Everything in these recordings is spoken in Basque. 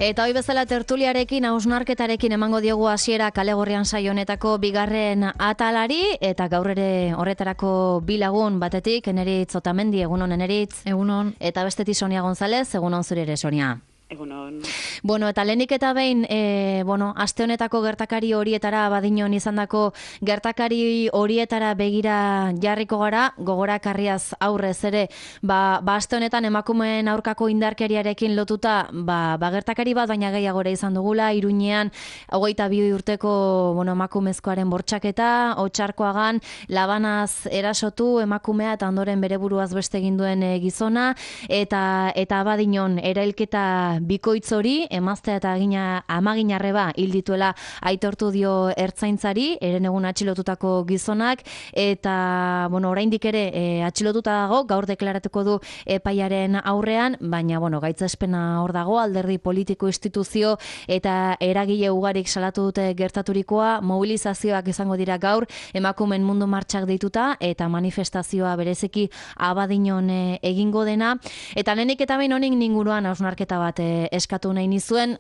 Eta hoi bezala tertuliarekin, hausnarketarekin emango diogu hasiera Kale Gorrian saio honetako bigarren atalari, eta gaur ere horretarako bi lagun batetik, Eneritz Otamendi, egunon Eneritz. Egunon. Eta bestetik Sonia González, egunon zure ere Sonia. Egunon. Bueno, eta lehenik eta behin, aste honetako gertakari horietara, badinon izandako gertakari horietara begira jarriko gara, gogorakarriaz aurrez ere, aste honetan emakumeen aurkako indarkeriarekin lotuta, gertakari bat, baina gehiagora izan dugula, Iruñean, 22 urteko, emakumezkoaren bortxaketa, Otsarkoagan, labanaz erasotu emakumea eta ondoren bere buruaz beste egin duen gizona, eta badinon, erailketa bikoitz hori, emaztea eta amaginarreba hil dituela aitortu dio ertzaintzari, herenegun atxilotutako gizonak, eta, oraindik ere atxilotuta dago, gaur deklaratuko du epaiaren aurrean, baina, gaitzespena hor dago, alderdi politiko instituzio eta eragile ugarik salatu dute gertaturikoa, mobilizazioak izango dira gaur, emakumen mundu martxak deituta, eta manifestazioa bereziki Abadiñon egingo dena, eta lehenik eta behin honik inguruan hausnarketa bat eskatu nahi nizuen,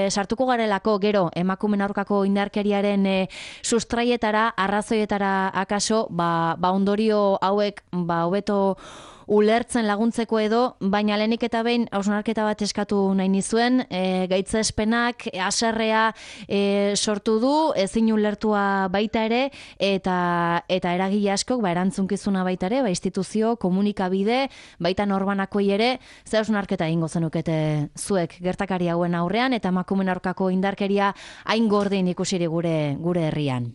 sartuko garelako gero emakumen aurkako indarkeriaren sustraietara, arrazoietara akaso, ondorio hauek hobeto ulertzen laguntzeko edo, baina lehenik eta behin hausnarketa bat eskatu nahi nizuen, gaitzespenak haserrea sortu du, ezin ulertua baita ere, eta eragile askok erantzunkizuna baita ere, instituzio, komunikabide, baita norbanakoi ere, ze hausnarketa egingo zenukete zuek gertakari hauen aurrean, eta emakumen aurkako indarkeria hain gordin ikusiri gure herrian.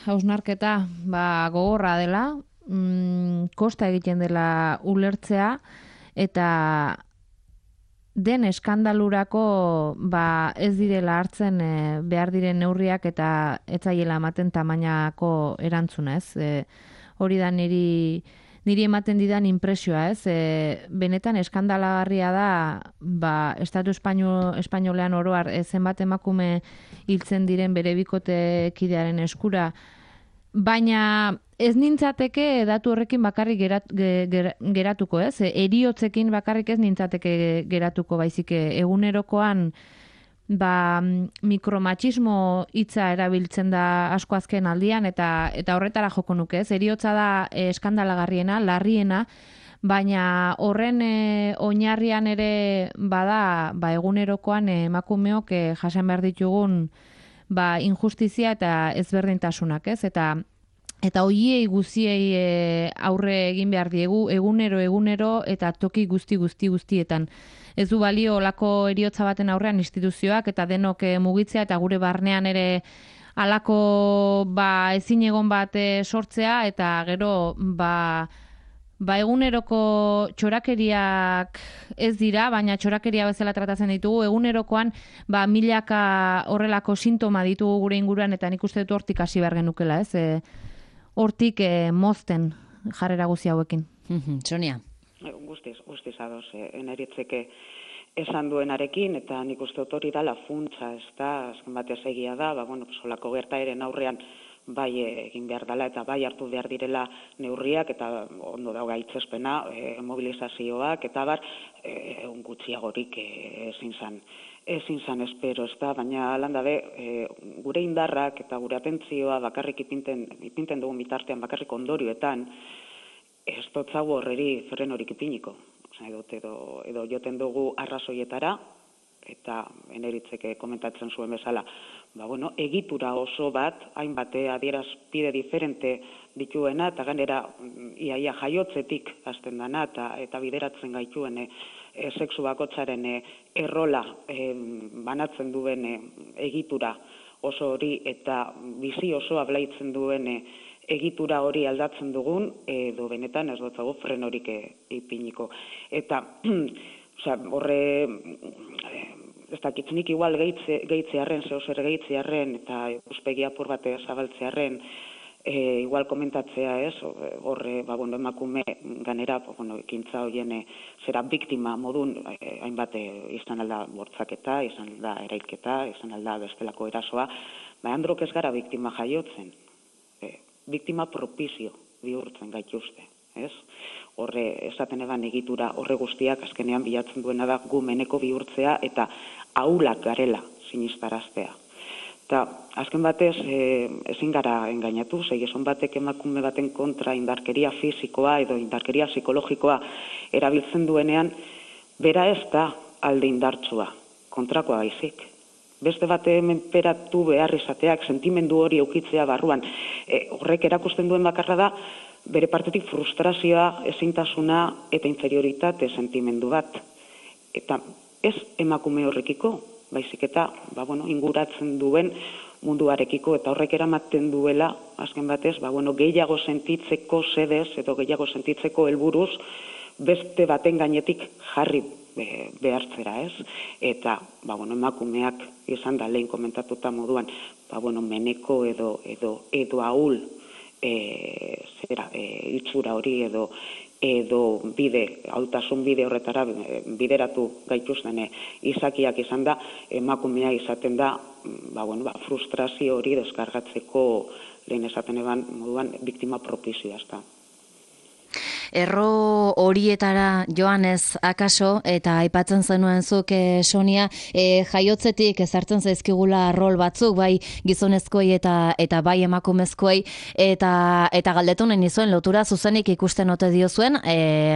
Hausnarketa gogorra dela, kosta egiten dela ulertzea, eta den eskandalurako ez direla hartzen behar diren neurriak eta etzaiela ematen tamainako erantzuna, ez? Hori da niri ematen didan impresioa, ez? Benetan eskandalagarria da, Estatu espainolean oroar zenbat emakume hiltzen diren bere bikotekidearen eskura, baina ez nintzateke datu horrekin bakarrik geratuko, ez? Heriotzekin bakarrik ez nintzateke geratuko, baizik egunerokoan mikromatxismo hitza erabiltzen da asko azken aldian, eta horretara joko nuke, ez? Heriotza da eskandalagarriena, larriena, baina horren oinarrian ere bada egunerokoan emakumeok jasan behar ditugun injustizia eta ezberdintasunak, ez? Eta hoiei guziei aurre egin behar diegu egunero eta toki guztietan. Ez du balio olako heriotza baten aurrean instituzioak eta denok mugitzea eta gure barnean ere halako ezin egon bat sortzea, eta gero eguneroko txorakeriak ez dira, baina txorakeria bezala tratatzen ditugu, egunerokoan milaka horrelako sintoma ditugu gure inguruan, eta nik uste dut hortik hasi behar genukela, ez? Hortik mozten jarrera guzi hauekin. Sonia. Guztiz ados, Eneritzeke esan duenarekin, eta nik uste dut hori dala funtsa, ez da, azken batez egia da, solako gertaeren aurrean egin behar dela eta hartu behar direla neurriak, eta ondo dago gaitzespena, mobilizazioak, eta gutxiagorik ezin zan espero, ez da, baina landabe, gure indarrak eta gure atentzioa bakarrik ipinten dugun bitartean, bakarrik ondorioetan, ez dotzago horreri frenorik ipiniko. Edo joten dugu arrazoietara, eta Eneritzeke komentatzen zuen bezala, egitura oso bat, hainbat adierazpide diferente dituena, eta gainera iaia jaiotzetik hasten dana, eta bideratzen gaituen sexu bakotzaren errola banatzen duen egitura oso hori, eta bizi osoa blaitzen duen egitura hori aldatzen dugun, edo benetan ez dutzago frenorik ipiniko. Eta, horre, ez dakitzenik igual gehitzearen, zehozer gehitzearen, eta uspegi apur bat zabaltzearen, igual komentatzea ez, horre, emakume ganera, ekintza horien zera biktima modun, hainbat izan alda bortzaketa, izan alda erailketa, izan alda bestelako erasoa, androk ez gara biktima jaiotzen, biktima propizio bihurtzen gaituzte. ez? Horre, esaten eban egitura horre guztiak azkenean bilatzen duena da gu meneko bihurtzea eta ahulak garela sinistaraztea. Eta azken batez ezin gara engainatu, gizon batek emakume baten kontra indarkeria fisikoa edo indarkeria psikologikoa erabiltzen duenean, bera ez da alde indartsua, kontrakoa baizik. Beste bate menperatu behar izateak, sentimendu hori eukitzea barruan, horrek erakusten duen bakarra da, bere partetik frustrazioa, ezintasuna eta inferioritate sentimendu bat. Eta ez emakume horrekiko, baizik eta inguratzen duen munduarekiko, eta horrek eramaten duela, azken batez, gehiago sentitzeko sedez, edo gehiago sentitzeko helburuz, beste baten gainetik jarri behartzera, ez? Eta, emakumeak izan da lehen komentatuta moduan, meneko edo ahul itxura hori edo hautasun bide horretara bideratu gaituzten izakiak izan da, emakumea izaten da, frustrazio hori deskargatzeko lehen esaten eban moduan biktima propizioa, ez da. Erro horietara joanez akaso, eta aipatzen zenuen zuk, Sonia, jaiotzetik ezartzen zaizkigula rol batzuk, bai gizonezkoei eta bai emakumezkoei, eta galdetu nahi nizuen lotura zuzenik ikusten ote diozuen,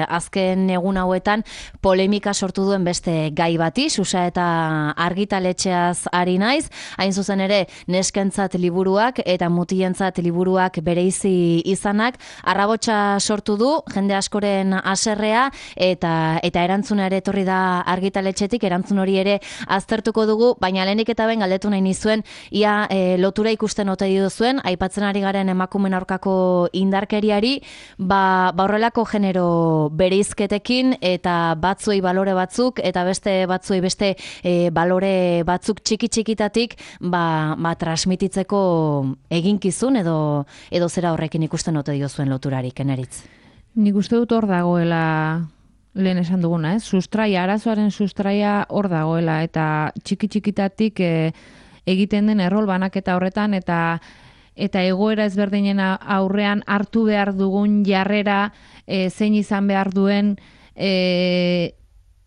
azken egun hauetan polemika sortu duen beste gai bati, Susa eta argitaletxeaz ari naiz, hain zuzen ere neskentzat liburuak eta mutientzat liburuak bereizi izanak, arrabotsa sortu du, jende askoren haserrea eta erantzuna ere etorri da argitaletxetik, erantzun hori ere aztertuko dugu, baina lehenik eta ben galdetu nahi nizuen, ia lotura ikusten ote duzuen, aipatzen ari garen emakumeen aurkako indarkeriari, horrelako genero bereizketekin eta batzuei balore batzuk eta beste batzuei beste balore batzuk txiki-txikitatik transmititzeko eginkizun edo zera horrekin ikusten ote duzuen loturarik, Eneritz? Nik uste dut hor dagoela lehen esan duguna, arazoaren sustraia hor dagoela, eta txiki-txikitatik egiten den errol banaketa horretan, eta egoera ezberdinen aurrean hartu behar dugun jarrera, zein izan behar duen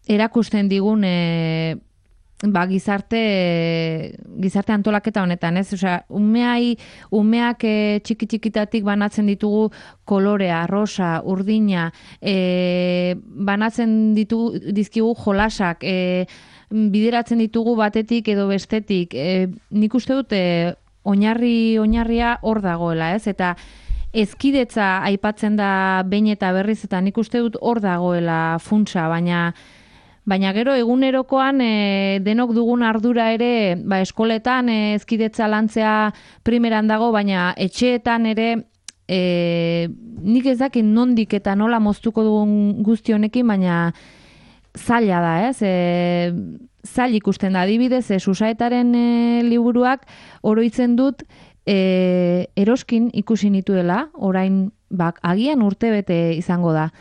erakusten digun gizarte antolaketa honetan, ez? Osea, umeak txiki-txikitatik banatzen ditugu kolorea, rosa, urdina, banatzen dizkigu jolasak, bideratzen ditugu batetik edo bestetik. Nik uste dut oinarria hor dagoela, ez? Eta hezkidetza aipatzen da behin eta berriz, eta nik uste dut hor dagoela funtsa, baina gero egunerokoan denok dugun ardura ere, eskoletan hezkidetza lantzea primeran dago, baina etxeetan ere nik ez dakit nondik eta nola moztuko dugun guzti honekin, baina zaila da, ez? Zail ikusten da, adibidez, Susaetaren liburuak oroitzen dut eroskin ikusi nituela, orain agian urtebete izango da.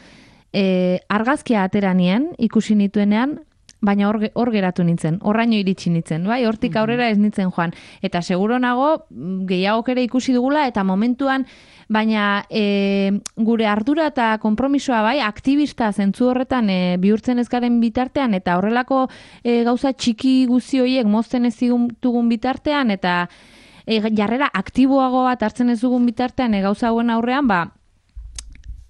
Argazkia ateranien ikusi nituenean, baina hor geratu nintzen, horraino iritsi nintzen, bai, hortik aurrera ez nintzen joan. Eta seguro nago, gehiagok ere ikusi dugula, eta momentuan, baina gure ardura eta konpromisoa, bai, aktivista zentzu horretan bihurtzen ez garen bitartean, eta horrelako gauza txiki guzti horiek mozten ez dugun bitartean, eta jarrera aktiboago bat hartzen ez dugun bitartean gauza hauen aurrean,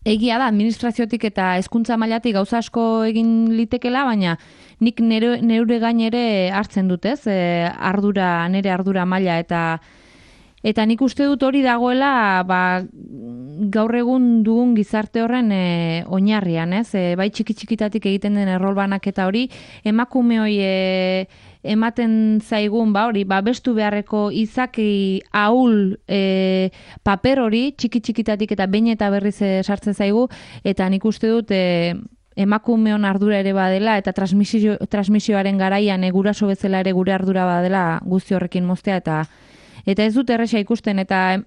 egia da, administraziotik eta hezkuntza mailatik gauza asko egin litekela, baina nik neure gain ere hartzen dut, ez? Nere ardura maila, eta nik uste dut hori dagoela gaur egun dugun gizarte horren oinarrian, ez? Bai txiki-txikitatik egiten den errol banaketa hori, emakume hori ematen zaigun, bestu beharreko izaki ahul paper hori, txiki-txikitatik eta behin eta berriz sartzen zaigu, eta nik uste dut emakumeon ardura ere badela, eta transmisioaren garaian guraso bezala ere gure ardura badela guzti horrekin moztea, eta ez dut erresa ikusten, eta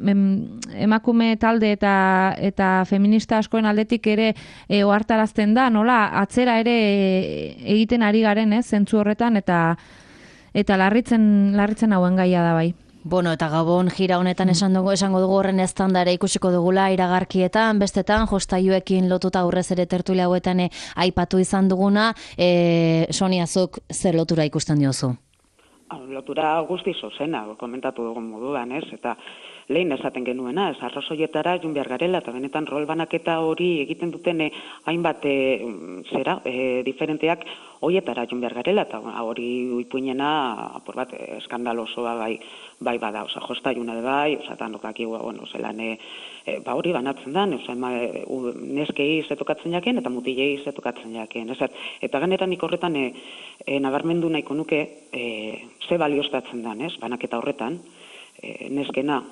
emakume talde eta feminista askoen aldetik ere ohartarazten da, nola atzera ere egiten ari garen, zentzu horretan, eta larritzen hauen gaia da bai. Bueno, eta Gabon gira honetan esango dugu horren estandare ikusiko dugula iragarkietan, bestetan, jostailuekin lotuta aurrez ere tertulia hauetan aipatu izan duguna, Sonia, zuk zer lotura ikusten diozu? Lotura guzti zozena, komentatu dugun moduan, ez? Eta lehen esaten genuena, ez arrazoietara joan behar garela, eta benetan rol banaketa hori egiten duten hainbat diferenteak horietara joan behar garela, eta hori ipuinena, apur bat, eskandalosoa bai bada, oza, jostailuna de bai, oza, tanokaki, bueno, zelan, hori banatzen da, neskei zetokatzen jaken, eta mutilei zetokatzen jaken, ez? Eta ganetan horretan nabarmendu nahiko nuke, ze balioztatzen da, ez? Banaketa horretan, neskena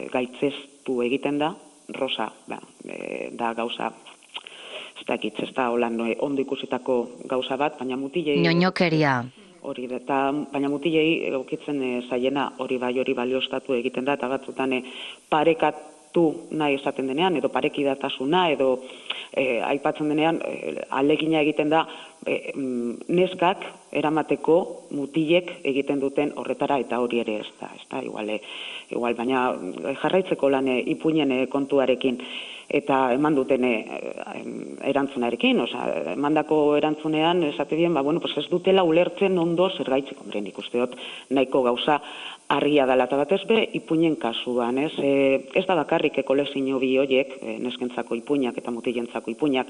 gaitzestu egiten da, rosa, da gauza, ez da holan ondo ikusitako gauza bat, baina mutilei... Ñoñokeria. Hori, eta baina mutilei egokitzen zaiena hori balioztatu egiten da, eta batzutan parekatu nahi esaten denean, edo parekidatasuna, edo aipatzen denean alegina egiten da neskak eramateko mutilek egiten duten horretara, eta hori ere ez da, igual, baina jarraitzeko lan ipuinen kontuarekin, eta eman duten erantzunarekin, emandako erantzunean, esate bien, pues ez dutela ulertzen ondo zergaitzik, nik uste dut nahiko gauza argia dela, eta batez be, ipuinen kasuan, ez da bakarrik kolekzio bi horiek, neskentzako ipuinak eta mutilentzako ipuinak,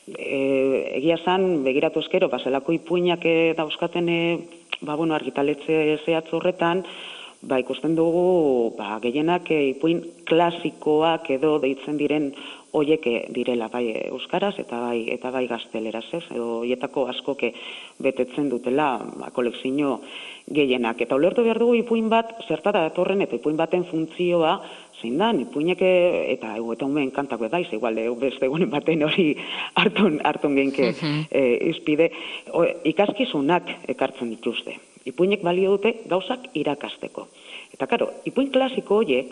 egia zan, begiratu eskero, zelako ipuinak dauzkaten argitaletxe zehatz horretan, ikusten dugu gehienak ipuin klasikoak edo deitzen diren horiek direla, bai euskaraz eta bai gazteleraz, edo horietako askok betetzen dutela kolekzio gehienak. Eta ulertu behar dugu ipuin bat zertara datorren eta ipuin baten funtzioa zein da, ipuinek eta umeen kantako edaiz, igual beste egunen baten hori hartun genke izpide, ikaskizunak ekartzen dituzte. Ipuinek balio dute gauzak irakasteko. Eta karo, ipuin klasiko horiek,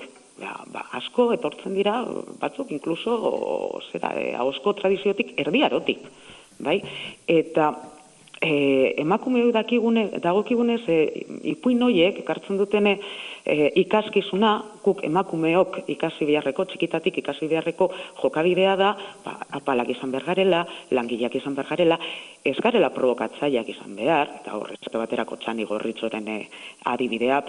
asko etortzen dira, batzuk inkluso, ahozko tradiziotik erdiarotik, bai? Eta emakume dagokigunez, ipuin horiek ekartzen dutene ikaskizuna, guk emakumeok ikasi beharreko, txikitatik ikasi beharreko jokabidea da, apalak izan behar garela, langileak izan behar garela, ez garela provokatzaileak izan behar, eta horrezte baterako Txani Gorritxoren adibidea,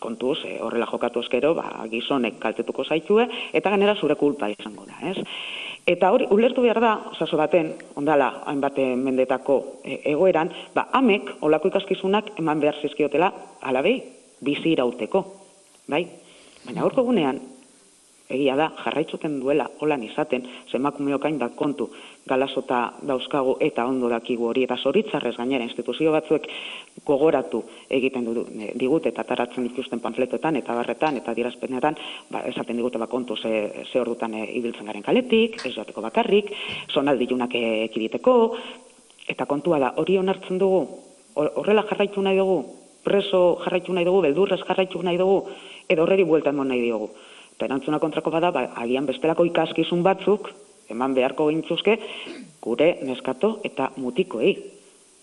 kontuz, horrela jokatu eskero, gizonek kaltetuko zaitue, eta ganera zure kulpa izango da, ez? Eta hori, ulertu behar da, osaso baten, ondala, hainbat mendetako egoeran, amek, olako ikaskizunak eman behar zizkiotela, alabei, bizi irauteko, bai? Baina horko gunean, egia da, jarraitzuten duela, holan izaten, emakumeok hainbat kontu, galasota dauzkagu eta ondo dakigu hori, eta zoritzarrez gainera instituzio batzuek gogoratu egiten digute eta taratzen dituzten panfletoetan eta barretan eta dirazpenetan, esaten digute kontu ze ordutan ibiltzen garen kaletik, ez joateko bakarrik, zonaldilunak ekiditeko, eta kontua da, hori onartzen dugu, horrela jarraitu nahi dugu, preso jarraitu nahi dugu, beldurrez jarraitu nahi dugu, edo horreri buelta emon nahi dugu. Eta erantzuna kontrako bada, agian bestelako ikaskizun batzuk, eman beharko gintzuzke, gure neskato eta mutikoei.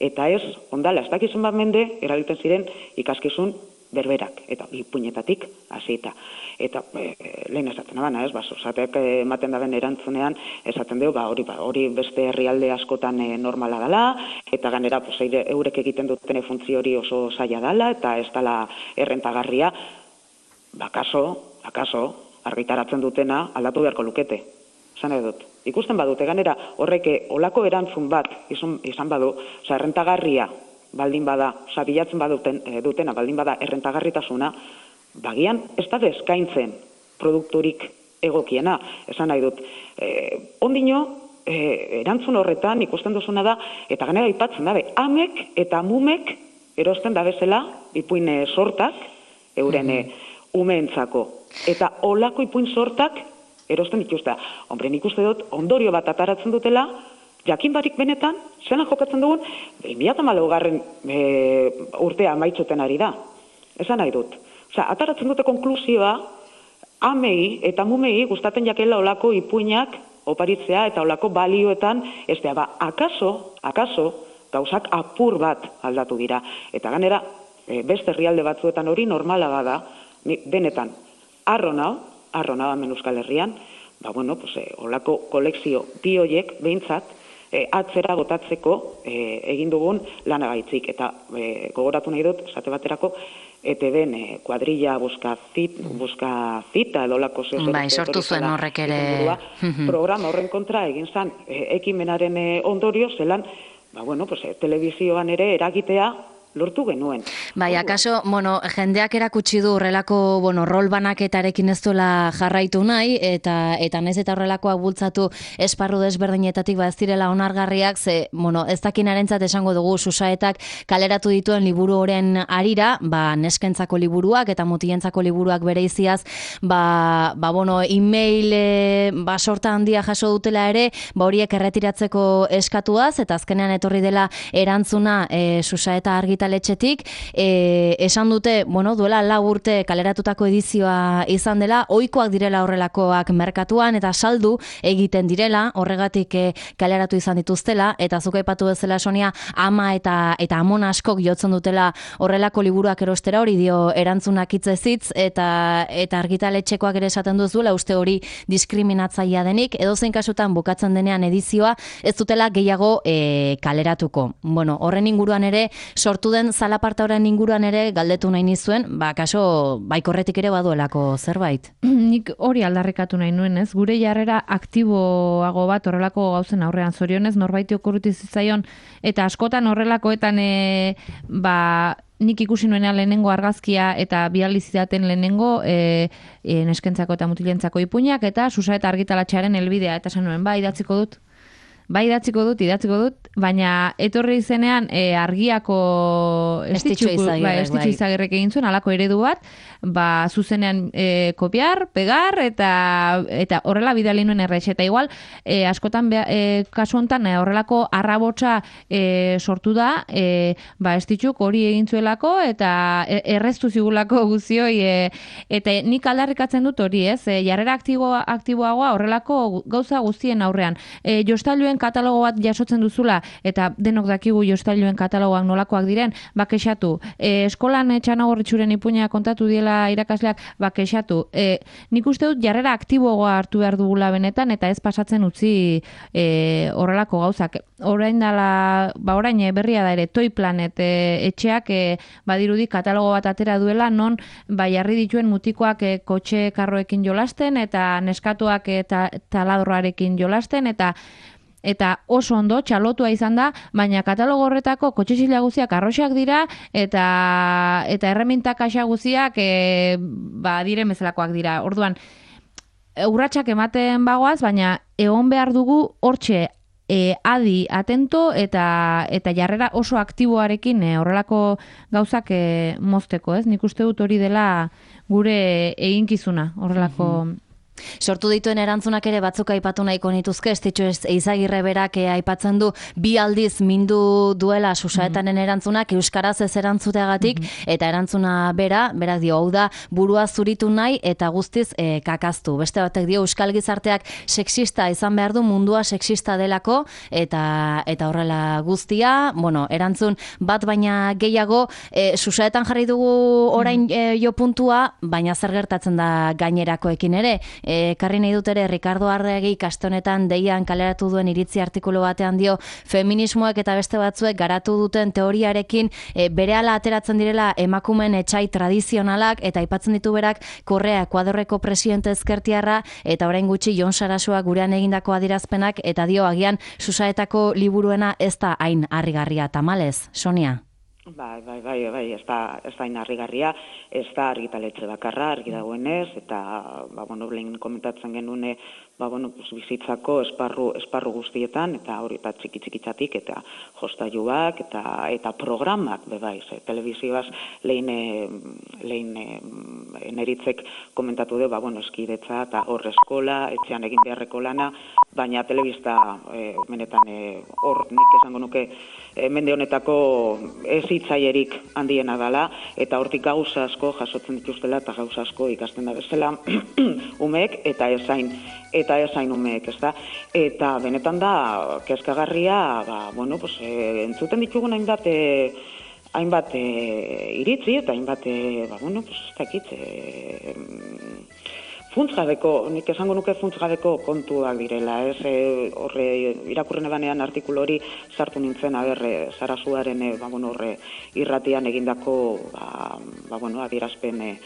Eta ez, ondala, ez dakizun bat mende, erabiltzen ziren ikaskizun berberak, eta ipuinetatik hasita. Eta lehen esatzen abana, zateak ematen daben erantzunean, esaten dugu, hori beste herrialde askotan normala dela, eta ganera eurek egiten duten funtzio hori oso zaila dela, eta ez dela errentagarria, akaso, argitaratzen dutena aldatu beharko lukete. Zan edut. Ikusten badute, ganera horreke olako erantzun bat izan badu, errentagarria baldin bada, bilatzen dutena baldin bada errentagarritasuna, bagian ez da eskaintzen produkturik egokiena. Esan nahi dut, ondino, erantzun horretan ikusten duzuna da, eta ganera aipatzen dabe, amek eta mumek erosten dabezela ipuin sortak, euren umeentzako. Eta olako ipuin sortak erosten dituzte. Hombre, nik uste dut, ondorio bat ataratzen dutela, jakin barik benetan, zelan jokatzen dugun, 2014 urtea amaitzuten ari da. Esan nahi dut. Ataratzen dute konklusioa, amei eta mumei gustaten jakela olako ipuinak oparitzea eta olako balioetan, ez da, akaso, gauzak apur bat aldatu dira. Eta ganera, beste herrialde batzuetan hori normala bada, Ni benetan, arrona hemen Euskal Herrian, olako kolekzio bi horiek behintzat atzera botatzeko egin dugun lanagaitzik. Eta gogoratu nahi dut, esate baterako, ETB-en kuadrilla buska cita edo lako Bai, sortu zuen horrek ere. Programa horren kontra egin zan ekimenaren ondorio zelan, telebizioan ere eragitea lortu genuen. Bai, akaso, jendeak erakutsi du horrelako, rol banaketarekin ez duela jarraitu nahi, eta naiz eta horrelakoak bultzatu esparru desberdinetatik ez direla onargarriak, ze, ez dakinarentzat esango dugu Susaetak kaleratu dituen liburu horren arira, neskentzako liburuak eta mutilentzako liburuak bereiziaz, e-mail sorta handia jaso dutela ere, horiek erretiratzeko eskatuaz, eta azkenean etorri dela erantzuna Susaeta argitaletxetik, esan dute, duela 4 urte kaleratutako edizioa izan dela, ohikoak direla horrelakoak merkatuan, eta saldu egiten direla, horregatik kaleratu izan dituztela, eta zuk aipatu bezala Sonia, ama eta amon askok jotzen dutela horrelako liburuak erostera, hori dio erantzunak hitzez, eta argitaletxekoak ere esaten duzuela, uste hori diskriminatzailea denik, edozein kasutan bukatzen denean edizioa, ez dutela gehiago kaleratuko. Horren inguruan ere, sortu den zalaparta horren inguruan ere galdetu nahi nizuen, kaso baikorretik ere baduelako zerbait. Nik hori aldarrikatu nahi nuen, ez? Gure jarrera aktiboago bat horrelako gauzen aurrean, zorionez norbaiti okurruti zitzaion, eta askotan horrelakoetan nik ikusi nuenean lehenengo argazkia eta bializidaten lehenengo neskentzako eta mutilentzako ipuinak eta Susaeta argitaletxearen helbidea, eta esan nuen, idatziko dut, baina etorri izenean argiako estitxu izagirrek egin zuen, alako eredu bat, zuzenean kopiar, pegar, eta horrela bidali nuen errex. Eta igual, askotan kasu honetan horrelako arrabotsa sortu da, estitxuk hori egin zuelako, eta erreztu zigulako guzioi, eta nik aldarrikatzen dut hori, ez? Jarrera aktiboagoa horrelako gauza guztien aurrean. Jostailuen katalogo bat jasotzen duzula, eta denok dakigu jostailuen katalogoak nolakoak diren, kexatu. Eskolan Txanagorritxuren ipuina kontatu diela irakasleak, kexatu. Nik uste dut jarrera aktiboagoa hartu behar dugula benetan, eta ez pasatzen utzi horrelako gauzak. Orain berria da ere, Toy Planet etxeak badirudi katalogo bat atera duela, non jarri dituen mutikoak kotxe karroekin jolasten, eta neskatuak taladroarekin jolasten, eta oso ondo, txalotua izan da, baina katalogo horretako kotxezila guziak arroxak dira, eta erremintak axa guziak diren bezalakoak dira. Orduan, urratsak ematen bagoaz, baina egon behar dugu hortxe adi, atento, eta jarrera oso aktiboarekin horrelako gauzak mozteko, ez? Nik uste dut hori dela gure eginkizuna, horrelako... Sortu dituen erantzunak ere batzuk aipatu nahiko nituzke, estitxu Izagirre berak aipatzen du 2 aldiz mindu duela Susaetaren erantzunak euskaraz ez erantzuteagatik, eta erantzuna berak dio, hau da burua zuritu nahi eta guztiz kakaztu. Beste batek dio, euskal gizarteak sexista izan behar du, mundua sexista delako, eta horrela guztia, erantzun bat baina gehiago, Susaetan jarri dugu orain jo puntua, baina zer gertatzen da gainerakoekin ere. Karri nahi dut ere, Ricardo Arregi kastonetan deian kaleratu duen iritzi artikulu batean dio, feminismoek eta beste batzuek garatu duten teoriarekin berehala ateratzen direla emakumeen etsai tradizionalak, eta aipatzen ditu berak Korrea Ekuadorreko presidente ezkertiarra, eta orain gutxi Jon Sarasua gurean egindako adirazpenak, eta dio agian Susaetako liburuena ez da hain harrigarria, tamalez, Sonia? Bai, ez da hain harrigarria, ez da argitaletxe bakarra, argi dagoenez, eta, lehen komentatzen genuen, bizitzako esparru guztietan, eta hori eta txiki-txikitzatik, eta jostailuak, eta programak, telebizioaz lehen neritzek komentatu du, eskidetza, eta hor eskola, etxean egin beharreko lana, baina telebista, benetan, hor nik esango nuke, mende honetako ez hitzaierik handiena dela, eta hortik gauza asko jasotzen dituztela, eta gauza asko ikasten da bezala umeek, eta ezain umeek, ez da? Eta benetan da, kezkagarria, entzuten ditugun hainbat hainbat iritzi eta hainbat, bueno, pues, ez dakit, funtsgabeko, nik esango nuke funtsgabeko kontuak direla, ez, horre, irakurren ebanean artikulu hori sartu nintzen, Sarasuaren, bueno, horre, irratian egindako, bueno, adierazpen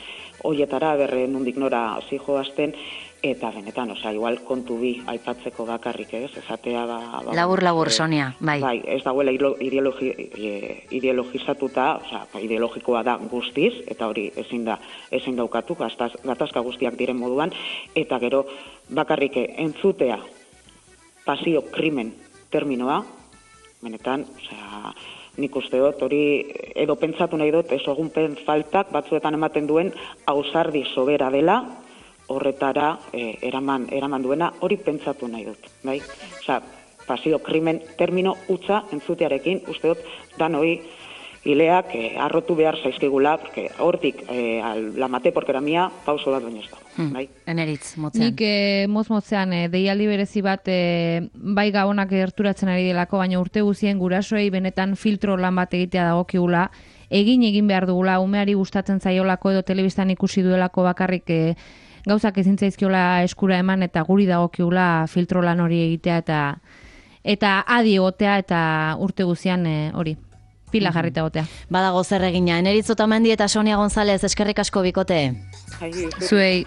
hoietara, nondik nora zijoazten, eta benetan, igual kontu bi aipatzeko bakarrik, ez, esatea, labur, Sonia, bai. Bai, ez dagoela ideologizatuta, ideologikoa da guztiz, eta hori ezin daukatu, gatazka guztiak diren moduan, eta gero bakarrik entzutea pasio krimen terminoa, benetan, nik uste dut, hori edo pentsatu nahi dut, ez ogunpen faltak batzuetan ematen duen ausardi sobera dela, horretara eraman duena, hori pentsatu nahi dut, bai? Pasio krimen termino utza entzutearekin, uste dut, danoi hileak arrotu behar zaizkigula, porque hortik la maté porque era mía, pauso bat baino ez dago, bai? Eneritz, motzean. Nik motzean deialdi berezi bat bai gabonak gerturatzen ari delako, baina urte guzien gurasoei benetan filtro lan bat egitea dagokigula, egin behar dugula, umeari gustatzen zaiolako edo telebistan ikusi duelako bakarrik gauzak ezin zaizkiola eskura eman eta guri dagokigula filtro lan hori egitea eta adi egotea eta urte guzian hori pila jarrita egotea. Badago zer egina. Eneritz Otamendi eta Sonia González, eskerrik asko bikote. Zuei.